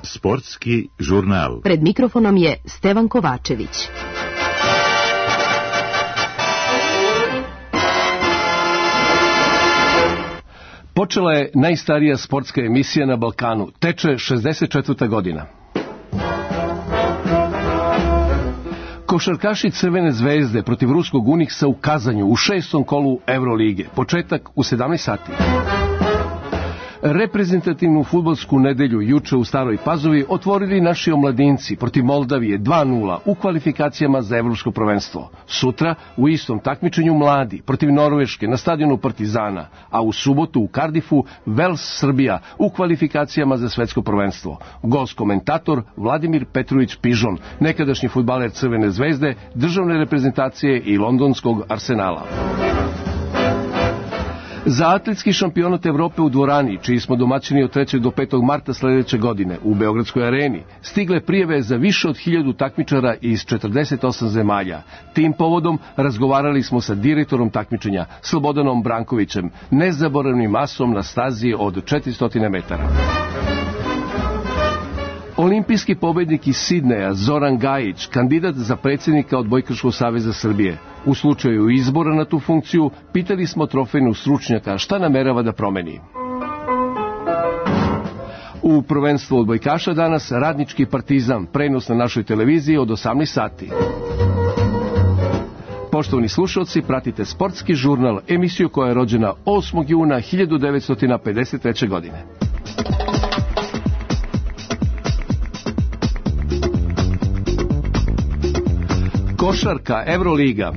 Sportski žurnal. Pred mikrofonom je Stevan Kovačević. Počela je najstarija sportska emisija na Balkanu. Teče 64. godina. Košarkaši Crvene zvezde protiv ruskog Uniksa u Kazanju u 6. kolu Evrolige. Početak u 17 sati. Reprezentativnu fudbalsku nedelju juče u Staroj Pazovi otvorili naši omladinci protiv Moldavije 2:0 u kvalifikacijama za evropsko prvenstvo. Sutra u istom takmičenju mladi protiv Norveške na stadionu Partizana, a u subotu u Kardifu Vels Srbija u kvalifikacijama za svetsko prvenstvo. Gost komentator Vladimir Petrović Pižon, nekadašnji fudbaler Crvene zvezde, državne reprezentacije i londonskog Arsenala. Za atletski šampionat Evrope u dvorani, čiji smo domaćini od 3. do 5. marta sledeće godine u Beogradskoj areni, stigle prijave za više od 1000 takmičara iz 48 zemalja. Tim povodom razgovarali smo sa direktorom takmičenja, Slobodanom Brankovićem, nezaboravnim asom na stazi od 400 metara. Olimpijski pobednik iz Sidneja Zoran Gajić, kandidat za predsjednika Odbojkaškog saveza Srbije. U slučaju izbora na tu funkciju pitali smo trofejnog stručnjaka šta namerava da promeni. U prvenstvu odbojkaša danas Radnički Partizan, prenos na našoj televiziji od 18 sati. Poštovani slušalci, pratite Sportski žurnal, emisiju koja je rođena 8. juna 1953. godine. Košarka, Evroliga.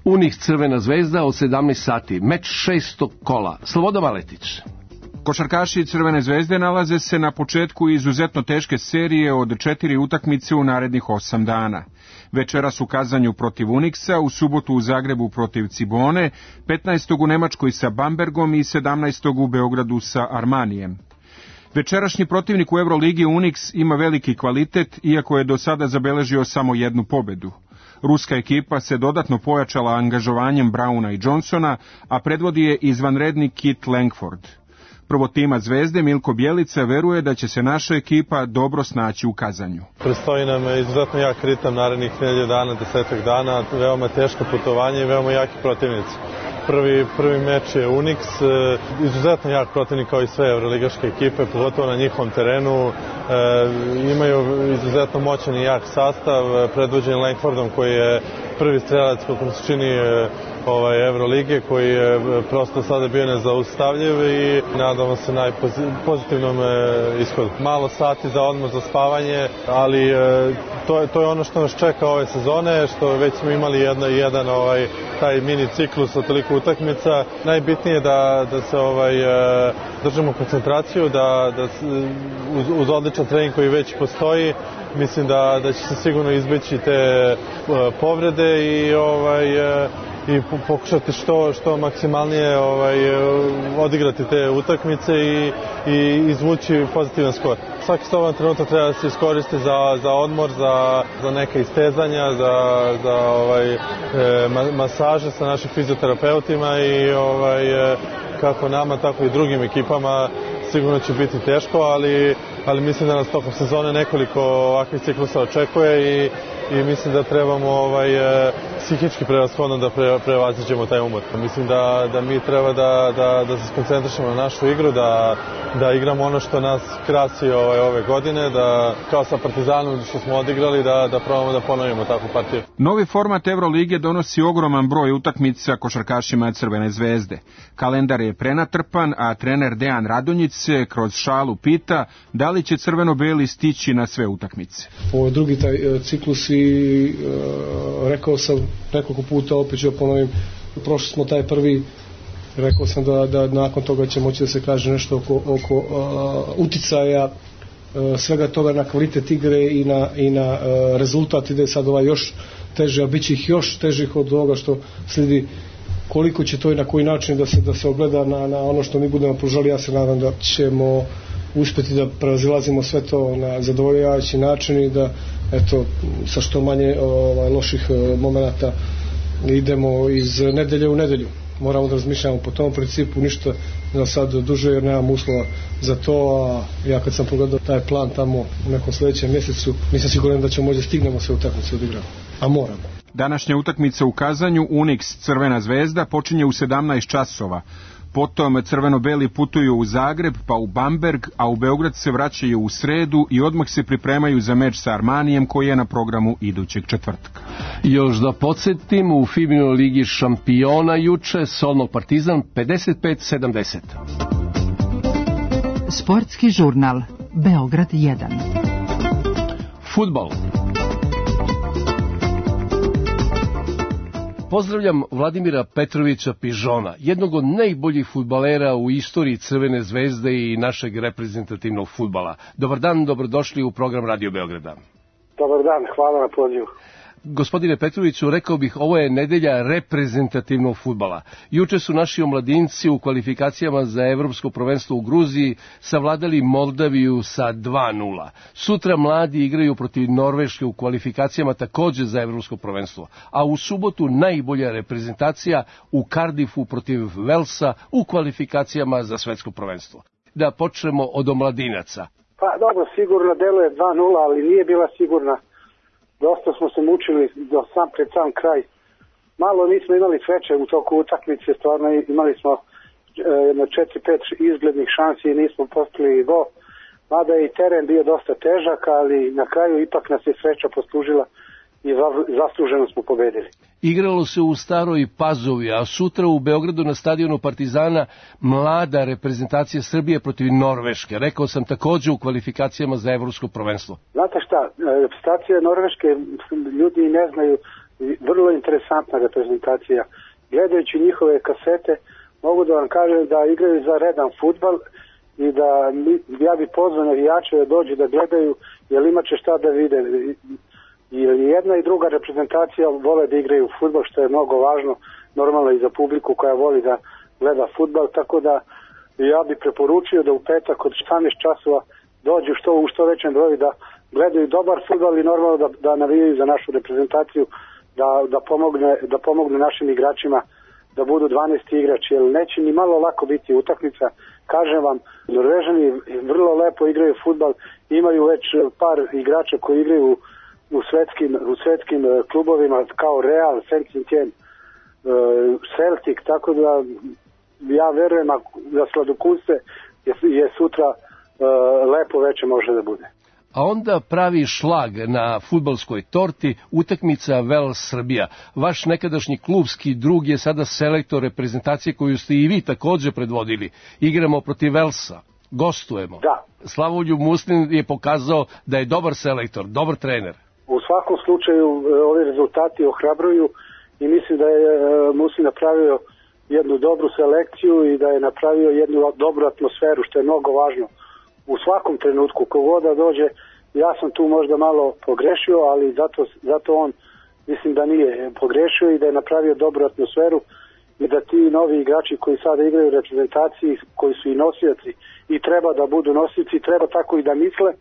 Uniks Crvena zvezda od 17 sati, meč 6. kola. Slobodan Maletić. Košarkaši Crvene zvezde nalaze se na početku izuzetno teške serije od 4 utakmice u narednih 8 dana. Večeras u Kazanju protiv Uniksa, u subotu u Zagrebu protiv Cibone, 15. u Nemačkoj sa Bambergom i 17. u Beogradu sa Armanijem. Večerašnji protivnik u Evroligi Uniks ima veliki kvalitet, iako je do sada zabeležio samo jednu pobedu. Ruska ekipa se dodatno pojačala angažovanjem Brauna i Johnsona, a predvodi je izvanredni Kit Langford. Prvotima Zvezde Milko Bjelica veruje da će se naša ekipa dobro snaći u Kazanju. Predstoji nam izuzetno jak ritam narednih 1000 dana, 10 dana, veoma teško putovanje i veoma jaki protivnici. Prvi meč je Uniks, izuzetno jak protivnik kao i sve evroligaške ekipe, pogotovo na njihovom terenu. Imaju izuzetno moćan i jak sastav, predvođen Langfordom koji je prvi strelac kako se čini Evrolige, koji je prosto sada bio nezaustavljiv i nadamo se najpozitivnom ishodu. Malo sati za odmor, za spavanje, ali to je ono što nas čeka ove sezone, što već smo imali jedan taj mini ciklus od toliko utakmica. Najbitnije je da se držimo koncentraciju, da uz odličan trening koji već postoji, mislim da će se sigurno izbeći te povrede i pokušati što maksimalnije odigrati te utakmice i izvući pozitivan skor. Svaki slobodan trenutak treba da se iskoristi za odmor, za neka istezanja, za masaže sa našim fizioterapeutima i kako nama, tako i drugim ekipama sigurno će biti teško, ali mislim da nas tokom sezone nekoliko ovakvih ciklusa očekuje i mislim da trebamo psihički prevashodno da prevaziđemo taj umor. Mislim da mi treba da se skoncentrišemo na našu igru, da igramo ono što nas krasi ove godine, da kao sa Partizanom što smo odigrali, da probamo da ponovimo takvu partiju. Novi format Evrolige donosi ogroman broj utakmica košarkašima Crvene zvezde. Kalendar je prenatrpan, a trener Dejan Radonjić se kroz šalu pita da li će crveno-beli stići na sve utakmice. Ovo je drugi taj ciklus i rekao sam nekoliko puta, opet ću ponovim, prošli smo taj prvi, rekao sam da nakon toga će moći da se kaže nešto oko uticaja svega toga na kvalitet igre i na rezultat, ide sad još teže, a bit će ih još težih od ovoga što slijedi. Koliko će to i na koji način da se ogleda na ono što mi budemo pružali, ja se nadam da ćemo uspjeti da prevazilazimo sve to na zadovoljavajući način i da sa što manje loših momenata idemo iz nedelje u nedelju. moramo da razmišljamo po tom principu, ništa da sad duže jer nemam uslova za to, a ja kad sam pogledao taj plan tamo u nekom sledećem mjesecu, nisam siguran da ćemo možda stignemo sve utakmice odigrati, a moramo. Današnja utakmica u Kazanju, Unix Crvena zvezda, počinje u 17 časova. Potom crveno-beli putuju u Zagreb, pa u Bamberg, a u Beograd se vraćaju u sredu i odmah se pripremaju za meč sa Armanijem koji je na programu idućeg četvrtka. Još da podsjetim, u FIBA ligi šampiona juče Solno Partizan 55-70. Sportski žurnal Beograd 1. Fudbal. Pozdravljam Vladimira Petrovića Pižona, jednog od najboljih fudbalera u istoriji Crvene zvezde i našeg reprezentativnog fudbala. Dobar dan, dobrodošli u program Radio Beograda. Dobar dan, hvala na pozivu. Gospodine Petroviću, rekao bih, ovo je nedelja reprezentativnog fudbala. Juče su naši omladinci u kvalifikacijama za evropsko prvenstvo u Gruziji savladali Moldaviju sa 2:0. Sutra mladi igraju protiv Norveške u kvalifikacijama takođe za evropsko prvenstvo. A u subotu najbolja reprezentacija u Cardiffu protiv Velsa u kvalifikacijama za svetsko prvenstvo. Da počnemo od omladinaca. Pa dobro, sigurno deluje 2:0, ali nije bila sigurna. Dosta smo se mučili pred sam kraj. Malo nismo imali sreće u toku utakmice, stvarno imali smo 4-5 izglednih šansi i nismo postigli gol. Mada je i teren bio dosta težak, ali na kraju ipak nas je sreća poslužila i zasluženo smo pobedili. Igralo se u Staroj Pazovi, a sutra u Beogradu na stadionu Partizana mlada reprezentacija Srbije protiv Norveške. Rekao sam takođe u kvalifikacijama za evropsko prvenstvo. Znate šta, reprezentacija Norveške, ljudi ne znaju, vrlo interesantna reprezentacija. Gledajući njihove kasete, mogu da vam kažem da igraju za redan fudbal i da ja bi pozvao navijače da dođu da gledaju, jer imaće šta da vide. Jer jedna i druga reprezentacija vole da igraju fudbal, što je mnogo važno, normalno i za publiku koja voli da gleda fudbal, tako da ja bih preporučio da u petak od 18 časova dođu u što većem broju da gledaju dobar fudbal i normalno da navijaju za našu reprezentaciju, da pomogne našim igračima da budu 12 igrači, jer neće ni malo lako biti utakmica. Kažem vam, Norvežani vrlo lepo igraju fudbal, imaju već par igrača koji igraju u svetskim klubovima kao Real, Saint-Étienne, Celtic, tako da ja verujem da sladokusce je sutra lepo veče može da bude. A onda pravi šlag na fudbalskoj torti utakmica Vels-Srbija. Vaš nekadašnji klubski drug je sada selektor reprezentacije koju ste i vi takođe predvodili. Igramo protiv Velsa, gostujemo. Da. Slavoljub Muslin je pokazao da je dobar selektor, dobar trener. U svakom slučaju ovi rezultati ohrabruju i mislim da je Muslin napravio jednu dobru selekciju i da je napravio jednu dobru atmosferu, što je mnogo važno. U svakom trenutku, kogoda dođe, ja sam tu možda malo pogrešio, ali zato on mislim da nije pogrešio i da je napravio dobru atmosferu i da ti novi igrači koji sada igraju u reprezentaciji, koji su i nosioci i treba da budu nosioci, treba tako i da misle,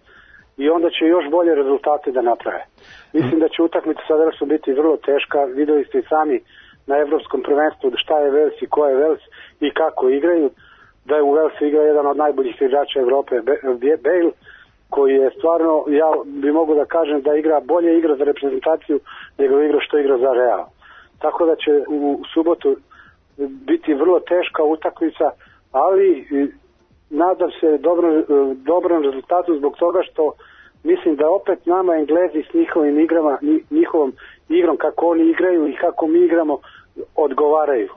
i onda će još bolje rezultate da naprave. Mislim da će utakmica sa Velsom biti vrlo teška, videli ste i sami na evropskom prvenstvu šta je Vels i ko je Vels i kako igraju, da je u Velsu igra jedan od najboljih igrača Evrope, Bale, koji je stvarno, ja bi mogu da kažem da bolje igra za reprezentaciju nego igra što igra za Real. Tako da će u subotu biti vrlo teška utakmica, ali nadam se dobrom rezultatu zbog toga što mislim da opet nama Englezi s njihovom igrom kako oni igraju i kako mi igramo odgovaraju.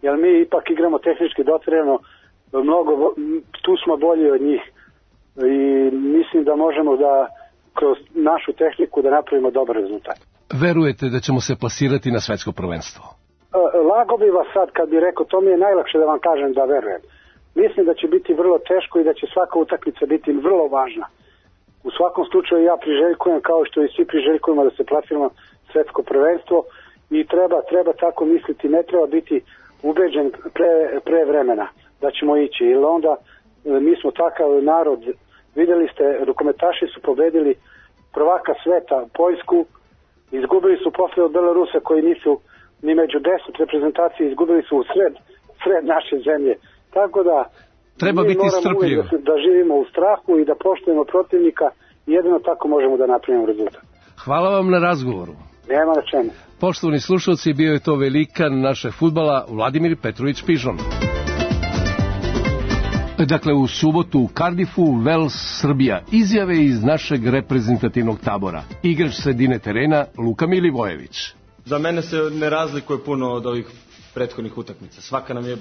Jer mi ipak igramo tehnički dotrajano, tu smo bolji od njih i mislim da možemo da kroz našu tehniku da napravimo dobar rezultat. Verujete da ćemo se plasirati na svetsko prvenstvo? Lago bi vas sad kad bi rekao, to mi je najlakše da vam kažem da verujem. Mislim da će biti vrlo teško i da će svaka utakmica biti vrlo važna. U svakom slučaju ja priželjkujem, kao što i svi priželjkujemo, da se plasiramo svetsko prvenstvo i treba tako misliti, ne treba biti ubeđen pre vremena da ćemo ići, jer onda mi smo takav narod. Videli ste, rukometaši su pobedili prvaka sveta Poljsku, izgubili su posle od Belorusa koji nisu ni među 10 reprezentacije, izgubili su u sred naše zemlje. Tako da treba biti strpljiv. Da živimo u strahu i da poštujemo protivnika, jedino tako možemo da napravimo rezultat. Hvala vam na razgovoru. Nema na čemu. Poštovani slušalci, bio je to velikan našeg fudbala Vladimir Petrović Pižon. Dakle, u subotu u Cardiffu, Vels, Srbija. Izjave iz našeg reprezentativnog tabora. Igrač sredine terena Luka Milivojević. Za mene se ne razlikuje puno od ovih prethodnih utakmica. Svaka nam je,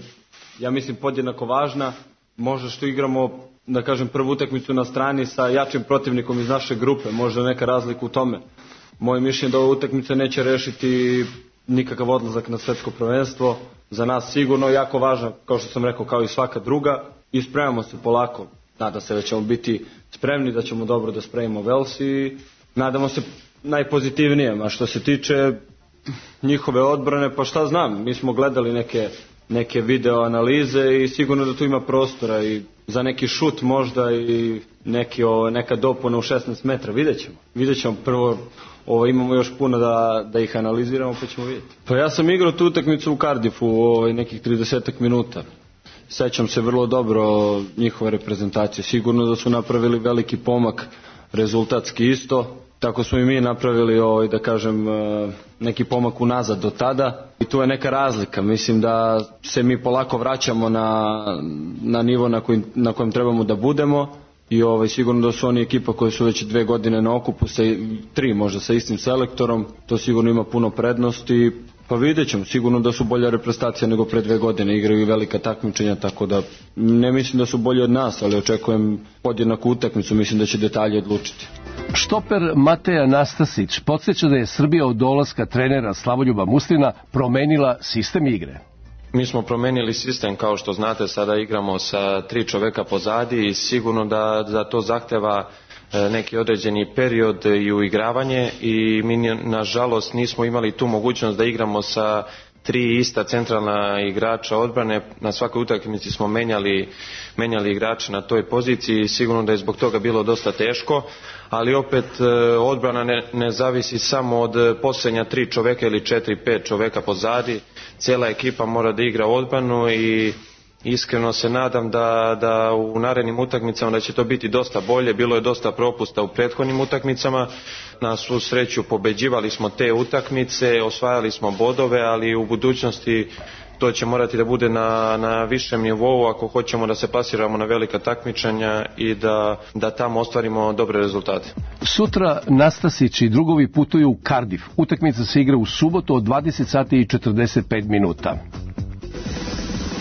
ja mislim, podjednako važna. Možda što igramo, da kažem, prvu utakmicu na strani sa jačim protivnikom iz naše grupe, možda neka razlika u tome. Moje mišljenje da ova utakmica neće rešiti nikakav odlazak na svetsko prvenstvo. Za nas sigurno jako važna, kao što sam rekao, kao i svaka druga. I spremamo se polako. Nadam se da ćemo biti spremni, da ćemo dobro da spremimo Vels i nadamo se najpozitivnijem. A što se tiče njihove odbrane, pa šta znam, mi smo gledali neke video analize i sigurno da tu ima prostora i za neki šut možda i neka dopuna u 16 metra. Vidjet ćemo prvo. Imamo još puno da ih analiziramo, pa ćemo vidjeti. Pa ja sam igrao tu utakmicu u Cardiffu nekih 30 minuta. Sećam se vrlo dobro njihove reprezentacije. Sigurno da su napravili veliki pomak, rezultatski isto. Tako smo i mi napravili, da kažem, neki pomak unazad do tada. I tu je neka razlika. Mislim da se mi polako vraćamo na nivo na kojem trebamo da budemo. I sigurno da su oni ekipa koji su već 2 godine na okupu, 3 možda sa istim selektorom. To sigurno ima puno prednosti. Pa vidjet ćemo, sigurno da su bolja reprezentacija nego pre 2 godine, igraju i velika takmičenja, tako da ne mislim da su bolji od nas, ali očekujem podjednaku utakmicu, mislim da će detalje odlučiti. Štoper Mateja Nastasić podsjeća da je Srbija od dolaska trenera Slavoljuba Muslina promenila sistem igre. Mi smo promenili sistem, kao što znate, sada igramo sa 3 čoveka pozadi i sigurno da to zahteva neki određeni period i uigravanje i mi nažalost nismo imali tu mogućnost da igramo sa 3 ista centralna igrača odbrane. Na svakoj utakmici smo menjali igrače na toj poziciji i sigurno da je zbog toga bilo dosta teško, ali opet odbrana ne zavisi samo od posljednja 3 čoveka ili 4-5 čoveka pozadi. Cijela ekipa mora da igra odbranu i iskreno se nadam da u narednim utakmicama da će to biti dosta bolje. Bilo je dosta propusta u prethodnim utakmicama. Na svu sreću pobeđivali smo te utakmice, osvajali smo bodove, ali u budućnosti to će morati da bude na višem nivou ako hoćemo da se plasiramo na velika takmičenja i da tamo ostvarimo dobre rezultate. Sutra Nastasić i drugovi putuju u Cardiff. Utakmica se igra u subotu od 20 sati i 45 minuta.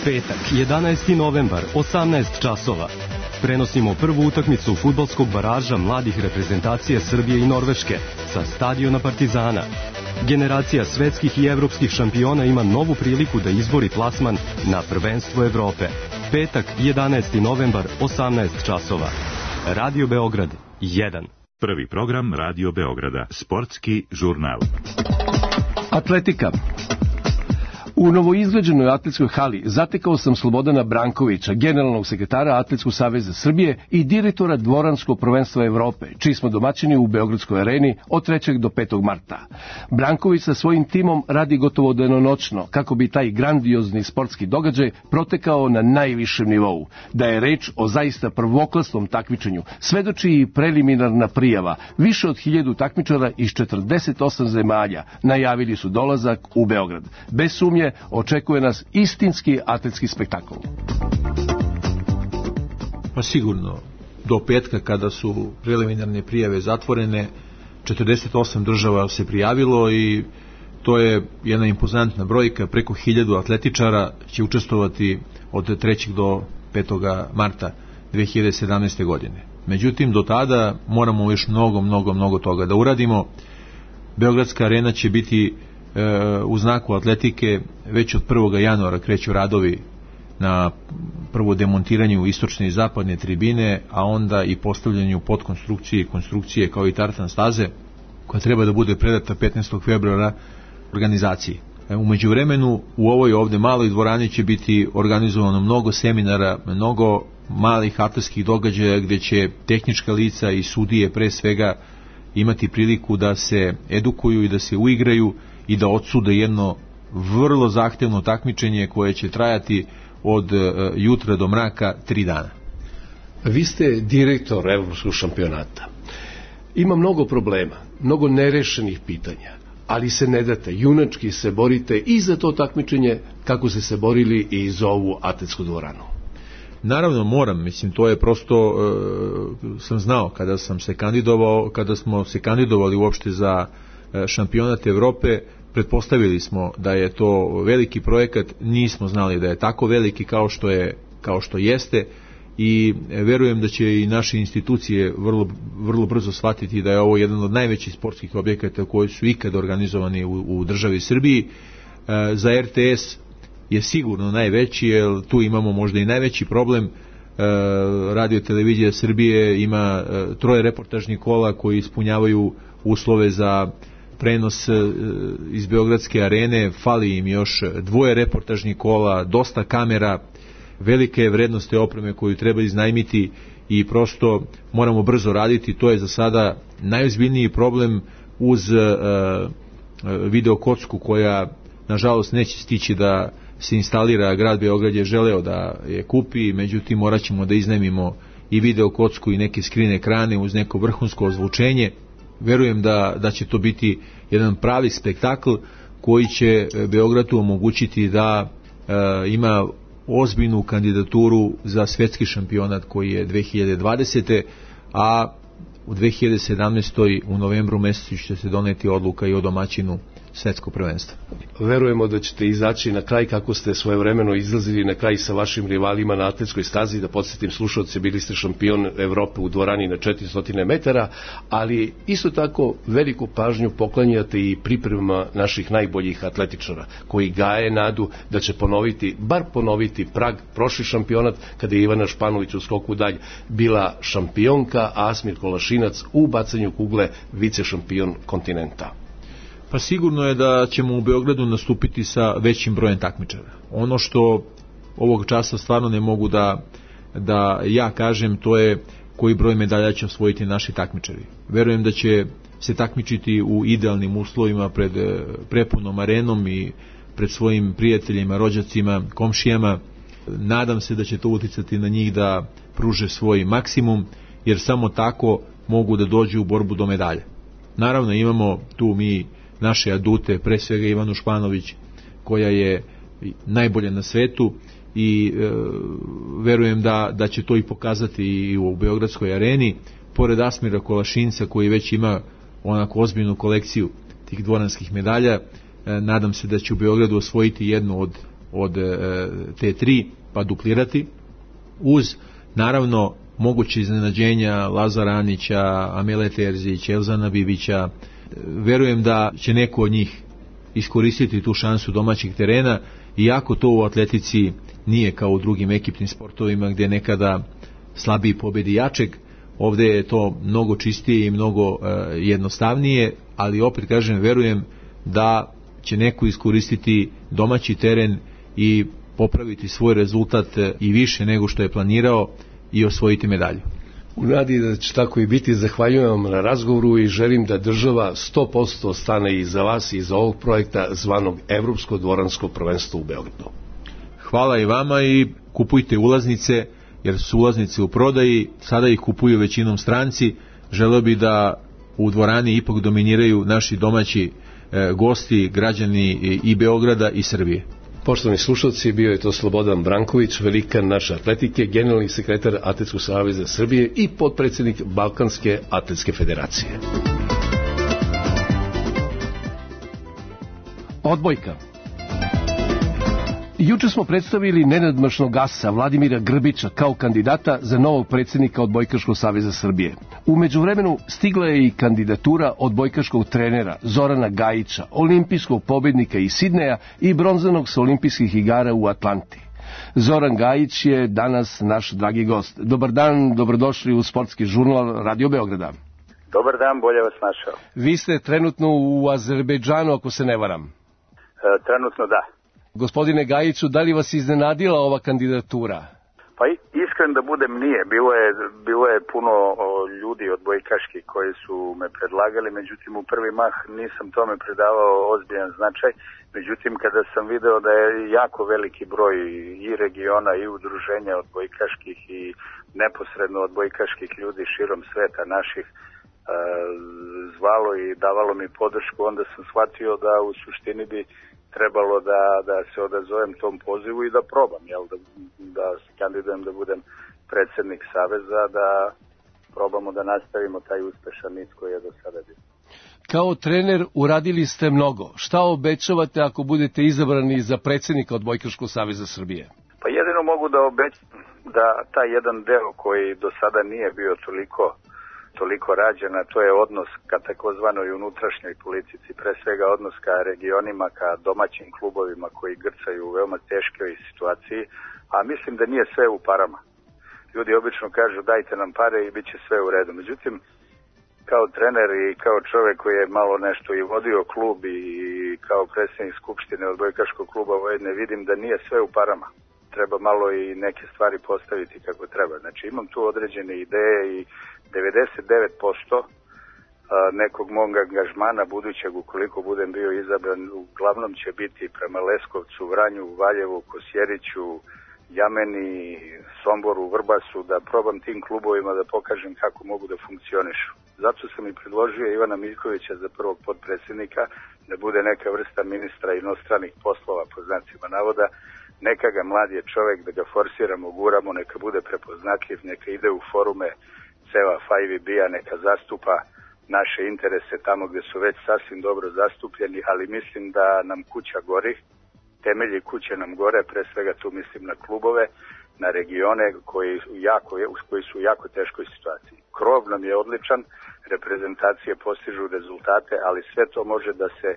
Petak, 11. novembar, 18 časova. Prenosimo prvu utakmicu fudbalskog baraža mladih reprezentacija Srbije i Norveške sa stadiona Partizana. Generacija svetskih i evropskih šampiona ima novu priliku da izbori plasman na prvenstvo Evrope. Petak, 11. novembar, 18 časova. Radio Beograd 1. Prvi program Radio Beograda, sportski žurnal. Atletika. U novoizgrađenoj atletskoj hali zatekao sam Slobodana Brankovića, generalnog sekretara Atletskog saveza Srbije i direktora Dvoranskog prvenstva Evrope, čiji smo domaćini u Beogradskoj areni od 3. do 5. marta. Branković sa svojim timom radi gotovo danonoćno kako bi taj grandiozni sportski događaj protekao na najvišem nivou. Da je reč o zaista prvoklasnom takmičenju svedoči i preliminarna prijava. Više od 1000 takmičara iz 48 zemalja najavili su dolazak u Beograd. Bez sumnje očekuje nas istinski atletski spektakl. Pa sigurno, do petka kada su preliminarne prijave zatvorene, 48 država se prijavilo i to je jedna impozantna brojka, preko 1000 atletičara će učestvovati od 3. do 5. marta 2017. godine. Međutim, do tada moramo još mnogo toga da uradimo. Beogradska arena će biti u znaku atletike. Već od 1. januara kreću radovi na prvo demontiranju istočne i zapadne tribine, a onda i postavljanju podkonstrukcije i konstrukcije kao i tartan staze, koja treba da bude predata 15. februara organizaciji. U međuvremenu u ovoj ovde maloj dvorani će biti organizovano mnogo seminara, mnogo malih atletskih događaja gdje će tehnička lica i sudije pre svega imati priliku da se edukuju i da se uigraju i da odsude jedno vrlo zahtevno takmičenje koje će trajati od jutra do mraka 3 dana. Vi ste direktor Evropskog šampionata. Ima mnogo problema, mnogo nerešenih pitanja, ali se ne date, junački se borite i za to takmičenje kako ste se borili i za ovu atletsku dvoranu. Naravno moram, mislim, to je prosto, sam znao kada smo se kandidovali uopšte za šampionat Evrope, pretpostavili smo da je to veliki projekat, nismo znali da je tako veliki kao što jeste, i verujem da će i naše institucije vrlo brzo shvatiti da je ovo jedan od najvećih sportskih objekata koji su ikad organizovani u državi Srbiji. Za RTS je sigurno najveći, jer tu imamo možda i najveći problem. Radio televizija Srbije ima 3 reportažnih kola koji ispunjavaju uslove za prenos iz Beogradske arene, fali im još 2 reportažnih kola, dosta kamera, velike je vrednost te opreme koju treba iznajmiti i prosto moramo brzo raditi. To je za sada najozbiljniji problem uz video kocku koja nažalost neće stići da se instalira. Grad Beograd je želeo da je kupi, međutim morat ćemo da iznajmimo i video kocku i neke screen ekrane uz neko vrhunsko ozvučenje. Verujem da će to biti jedan pravi spektakl koji će Beogradu omogućiti da ima ozbiljnu kandidaturu za svetski šampionat koji je 2020. a u 2017. u novembru mesecu će se doneti odluka i o domaćinu svetskog prvenstva. Verujemo da ćete izaći na kraj kako ste svojevremeno izlazili na kraj sa vašim rivalima na atletskoj stazi. Da podsjetim slušalce, bili ste šampion Evrope u dvorani na 400 metara, ali isto tako veliku pažnju poklanjate i pripremama naših najboljih atletičara koji gaje nadu da će bar ponoviti Prag, prošli šampionat kada je Ivana Španović u skoku dalj bila šampionka, a Asmir Kolašinac u bacanju kugle vice šampion kontinenta. Pa sigurno je da ćemo u Beogradu nastupiti sa većim brojem takmičara. Ono što ovog časa stvarno ne mogu da ja kažem, to je koji broj medalja će osvojiti naši takmičari. Verujem da će se takmičiti u idealnim uslovima pred prepunom arenom i pred svojim prijateljima, rođacima, komšijama. Nadam se da će to uticati na njih da pruže svoj maksimum, jer samo tako mogu da dođu u borbu do medalja. Naravno imamo tu mi naše adute, pre svega Ivanu Španović koja je najbolja na svetu i verujem da će to i pokazati i u Beogradskoj areni, pored Asmira Kolašinca koji već ima onako ozbiljnu kolekciju tih dvoranskih medalja. Nadam se da će u Beogradu osvojiti jednu od te 3 pa duplirati, uz naravno moguće iznenađenja Lazara Anića, Amele Terzić, Elzana Bibića. Verujem da će neko od njih iskoristiti tu šansu domaćih terena, iako to u atletici nije kao u drugim ekipnim sportovima gdje nekada slabiji pobedi jačeg. Ovdje je to mnogo čistije i mnogo jednostavnije, ali opet kažem, verujem da će neko iskoristiti domaći teren i popraviti svoj rezultat i više nego što je planirao i osvojiti medalju. U nadi da će tako i biti, zahvaljujem vam na razgovoru i želim da država 100% stane iza vas i iza ovog projekta zvanog Evropsko dvoransko prvenstvo u Beogradu. Hvala i vama i kupujte ulaznice, jer su ulaznice u prodaji, sada ih kupuju većinom stranci. Želeo bi da u dvorani ipak dominiraju naši domaći gosti, građani i Beograda i Srbije. Poštovani slušalci, bio je to Slobodan Branković, velikan naše atletike, generalni sekretar Atletskog saveza Srbije i potpredsjednik Balkanske atletske federacije. Odbojka. Juče smo predstavili nenadmašnog asa Vladimira Grbića kao kandidata za novog predsjednika Odbojkaškog saveza Srbije. U međuvremenu stigla je i kandidatura odbojkaškog trenera Zorana Gajića, olimpijskog pobednika iz Sidneja i bronzanog sa olimpijskih igara u Atlanti. Zoran Gajić je danas naš dragi gost. Dobar dan, dobrodošli u sportski žurnal Radio Beograda. Dobar dan, bolje vas našao. Vi ste trenutno u Azerbejdžanu, ako se ne varam. Trenutno da. Gospodine Gajiću, da li vas iznenadila ova kandidatura? Pa iskren da budem, nije. Bilo je puno ljudi odbojkaških koji su me predlagali, međutim u prvi mah nisam tome predavao ozbiljan značaj. Međutim, kada sam video da je jako veliki broj i regiona i udruženja odbojkaških i neposredno odbojkaških ljudi širom sveta naših zvalo i davalo mi podršku, onda sam shvatio da u suštini bi trebalo da se odazovem tom pozivu i da probam, da se kandidujem da budem predsednik Saveza, da probamo da nastavimo taj uspešan niz koji je do sada bio. Kao trener uradili ste mnogo. Šta obećavate ako budete izabrani za predsednika Odbojkaškog saveza Srbije? Pa jedino mogu da obećam da taj jedan deo koji do sada nije bio toliko rađen, a to je odnos ka takozvanoj unutrašnjoj politici, pre svega odnos ka regionima, ka domaćim klubovima koji grcaju u veoma teškoj situaciji, a mislim da nije sve u parama. Ljudi obično kažu dajte nam pare i bit će sve u redu. Međutim, kao trener i kao čovek koji je malo nešto i vodio klub i kao predsjednik Skupštine Odbojkaškog kluba Vojvodine, vidim da nije sve u parama. Treba malo i neke stvari postaviti kako treba. Znači imam tu određene ideje i 99% nekog mog angažmana budućeg, ukoliko budem bio izabran, uglavnom će biti prema Leskovcu, Vranju, Valjevu, Kosjeriću, Jameni, Somboru, Vrbasu, da probam tim klubovima da pokažem kako mogu da funkcionišu. Zato sam i predložio Ivana Miljkovića za prvog potpredsjednika, da bude neka vrsta ministra inostranih poslova, po znacima navoda. Neka ga mlad je čovek, da ga forsiramo, guramo, neka bude prepoznatljiv, neka ide u forume ceva 5VB-a, neka zastupa naše interese tamo gde su već sasvim dobro zastupljeni, ali mislim da nam kuća gori, temelji kuće nam gore, pre svega tu mislim na klubove, na regione koji su u jako teškoj situaciji. Krov nam je odličan, reprezentacije postižu rezultate, ali sve to može da se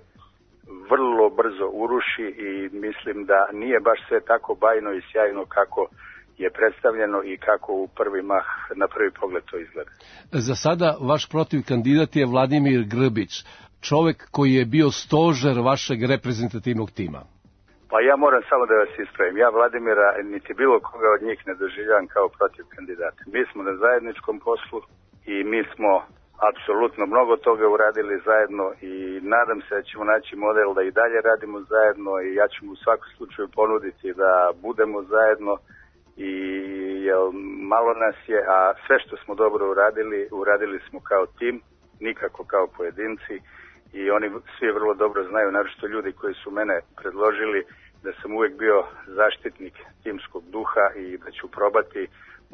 vrlo brzo uruši i mislim da nije baš sve tako bajno i sjajno kako je predstavljeno i kako u prvi mah, na prvi pogled to izgleda. Za sada vaš protiv kandidat je Vladimir Grbić, čovek koji je bio stožer vašeg reprezentativnog tima. Pa ja moram samo da vas ispravim. Ja Vladimira niti bilo koga od njih ne doživljavam kao protiv kandidata. Mi smo na zajedničkom poslu i mi smo apsolutno mnogo toga uradili zajedno i nadam se da ćemo naći model da i dalje radimo zajedno i ja ću mu u svakom slučaju ponuditi da budemo zajedno i malo nas je, a sve što smo dobro uradili smo kao tim, nikako kao pojedinci i oni svi vrlo dobro znaju, naročito ljudi koji su mene predložili, da sam uvijek bio zaštitnik timskog duha i da ću probati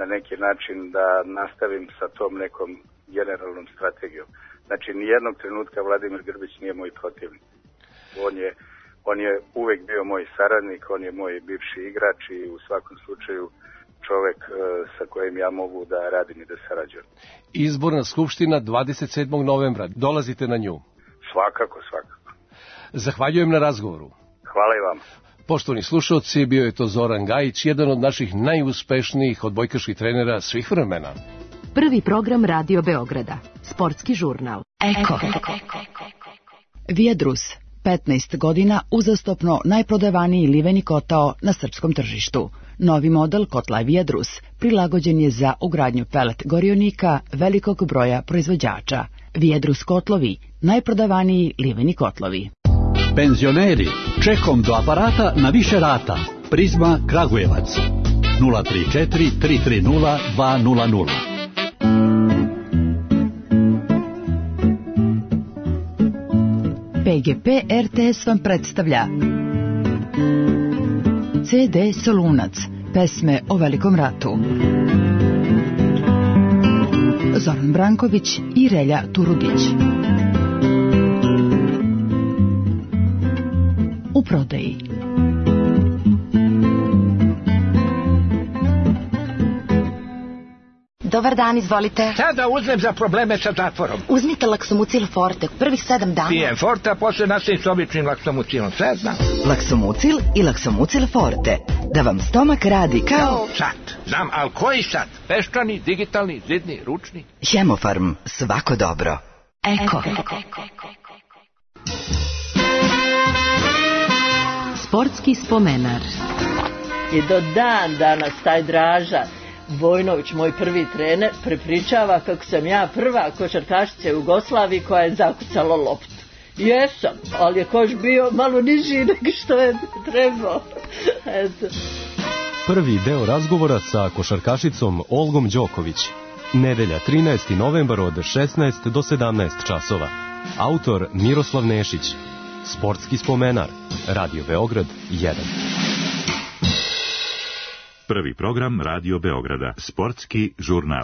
na neki način da nastavim sa tom nekom generalnom strategijom. Znači, nijednog trenutka Vladimir Grbić nije moj protivnik. On je uvek bio moj saradnik, on je moj bivši igrač i u svakom slučaju čovek sa kojim ja mogu da radim i da sarađujem. Izborna skupština 27. novembra. Dolazite na nju? Svakako. Zahvaljujem na razgovoru. Hvala i vam. Poštovani slušalci, bio je to Zoran Gajić, jedan od naših najuspešnijih odbojkaških trenera svih vremena. Prvi program Radio Beograda. Sportski žurnal. Eko. Viadrus. 15 godina uzastopno najprodavaniji liveni kotao na srpskom tržištu. Novi model kotla Viadrus prilagođen je za ugradnju pelet gorionika velikog broja proizvođača. Viadrus kotlovi, najprodavaniji liveni kotlovi. Penzioneri, čekom do aparata na više rata. Prizma Kragujevac 034 330 200. PGP RTS vam predstavlja CD Solunac, pesme o Velikom ratu. Zoran Branković i Relja Turudić. U prodaji. Dobar dan, izvolite. Sada uzmem za probleme sa zatvorom. Uzmite Laksomucil Forte, prvih 7 dana. Pijem Forte, a posle nastavim s običnim Laksomucilom, sve znam. Laksomucil i Laksomucil Forte, da vam stomak radi kao... Sat, znam, ali koji sat? Peščani, digitalni, zidni, ručni? Hemofarm, svako dobro. Eko. Sportski spomenar. I do dan danas taj Draža Vojnović, moj prvi trener, prepričava kako sam ja prva košarkašica u Jugoslaviji koja je zakucala loptu. Jesam, ali je koš bio malo niži nego što je trebao. Eto. Prvi deo razgovora sa košarkašicom Olgom Đoković. Nedelja 13. novembar od 16 do 17 časova. Autor Miroslav Nešić. Sportski spomenar. Radio Beograd 1. Prvi program Radio Beograda. Sportski žurnal.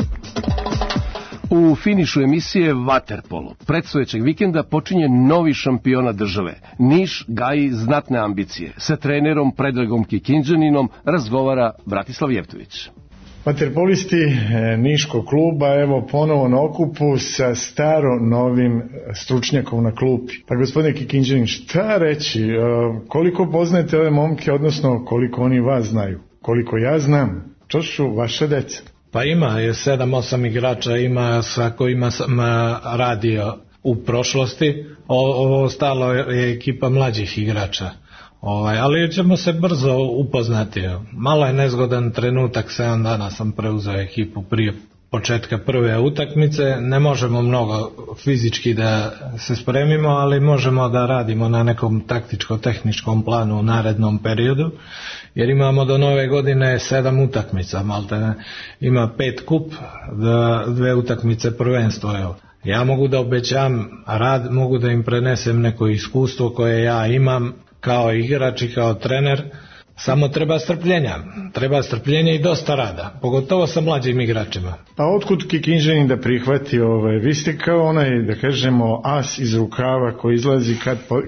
U finišu emisije Vaterpolo predstojećeg vikenda počinje novi šampiona države. Niš gaji znatne ambicije. Sa trenerom Predragom Kikindžaninom razgovara Bratislav Jevtović. Vaterpolisti Niškog kluba, evo ponovo na okupu sa staro novim stručnjakom na klupi. Pa gospodine Kikindžanin, šta reći, koliko poznajete ove momke, odnosno koliko oni vas znaju? Koliko ja znam, to su vaše deca. Pa ima 7-8 igrača, ima sa kojima sam radio u prošlosti, ovo ostalo je ekipa mlađih igrača. Ali ćemo se brzo upoznati. Malo je nezgodan trenutak, 7 dana sam preuzeo ekipu prije početka prve utakmice. Ne možemo mnogo fizički da se spremimo, ali možemo da radimo na nekom taktičko-tehničkom planu u narednom periodu, jer imamo do nove godine 7 utakmica, malte ima 5 kup, 2 utakmice prvenstvo. Evo. Ja mogu da obećam rad, mogu da im prenesem neko iskustvo koje ja imam kao igrač i kao trener, samo treba strpljenja i dosta rada, pogotovo sa mlađim igračima. Pa otkud Kikindžanin da prihvati vi ste kao onaj, da kažemo, as iz rukava koji izlazi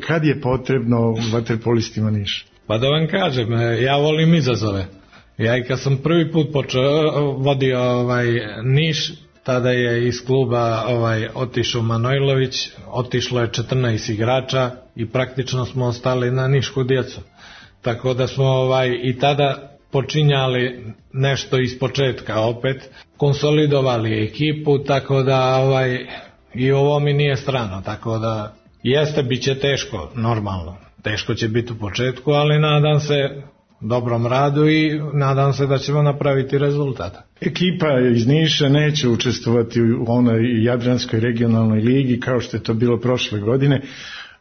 kad je potrebno vaterpolistima Niša? Pa da vam kažem, ja volim izazove. Ja i kad sam prvi put vodio Niš, tada je iz kluba otišao Manojlović, otišlo je 14 igrača i praktično smo ostali na nišku djecu. Tako da smo i tada počinjali nešto iz početka opet, konsolidovali ekipu, tako da i ovo mi nije strano, tako da jeste, bit će teško, normalno. Teško će biti u početku, ali nadam se dobrom radu i nadam se da ćemo napraviti rezultat. Ekipa iz Niša neće učestvovati u onoj Jadranskoj regionalnoj ligi kao što je to bilo prošle godine.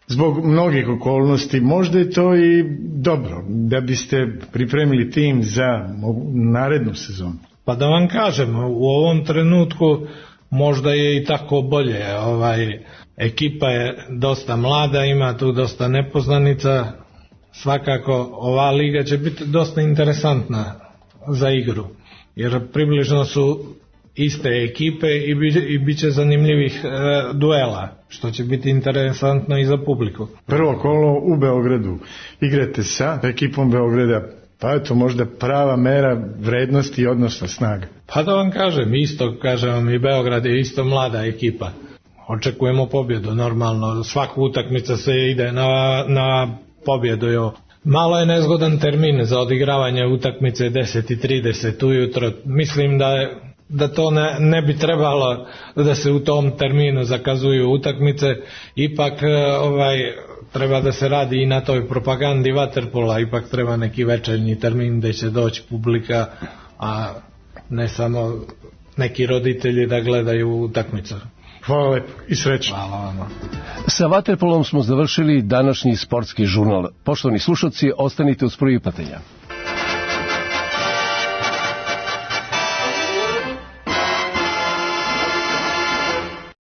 Zbog mnogih okolnosti, možda je to i dobro da biste pripremili tim za narednu sezonu. Pa da vam kažem, u ovom trenutku možda je i tako bolje. Ekipa je dosta mlada, ima tu dosta nepoznanica. Svakako ova liga će biti dosta interesantna za igru, jer približno su iste ekipe i bit će zanimljivih duela, što će biti interesantno i za publiku. Prvo kolo u Beogradu. Igrate sa ekipom Beograda, pa je to možda prava mera vrednosti i odnosna snaga. Pa da vam kažem, i Beograd je isto mlada ekipa. Očekujemo pobjedu, normalno. Svaku utakmica se ide na pobjedu. Malo je nezgodan termin za odigravanje utakmice 10:30 ujutro. Mislim da to ne bi trebalo da se u tom terminu zakazuju utakmice. Ipak treba da se radi i na toj propagandi vaterpola. Ipak treba neki večernji termin gdje će doći publika, a ne samo neki roditelji da gledaju utakmicu. Hvala lepo i srećno. Hvala vam. Sa vaterpolom smo završili današnji sportski žurnal. Poštovani slušalci, ostanite uz prvi pitanja.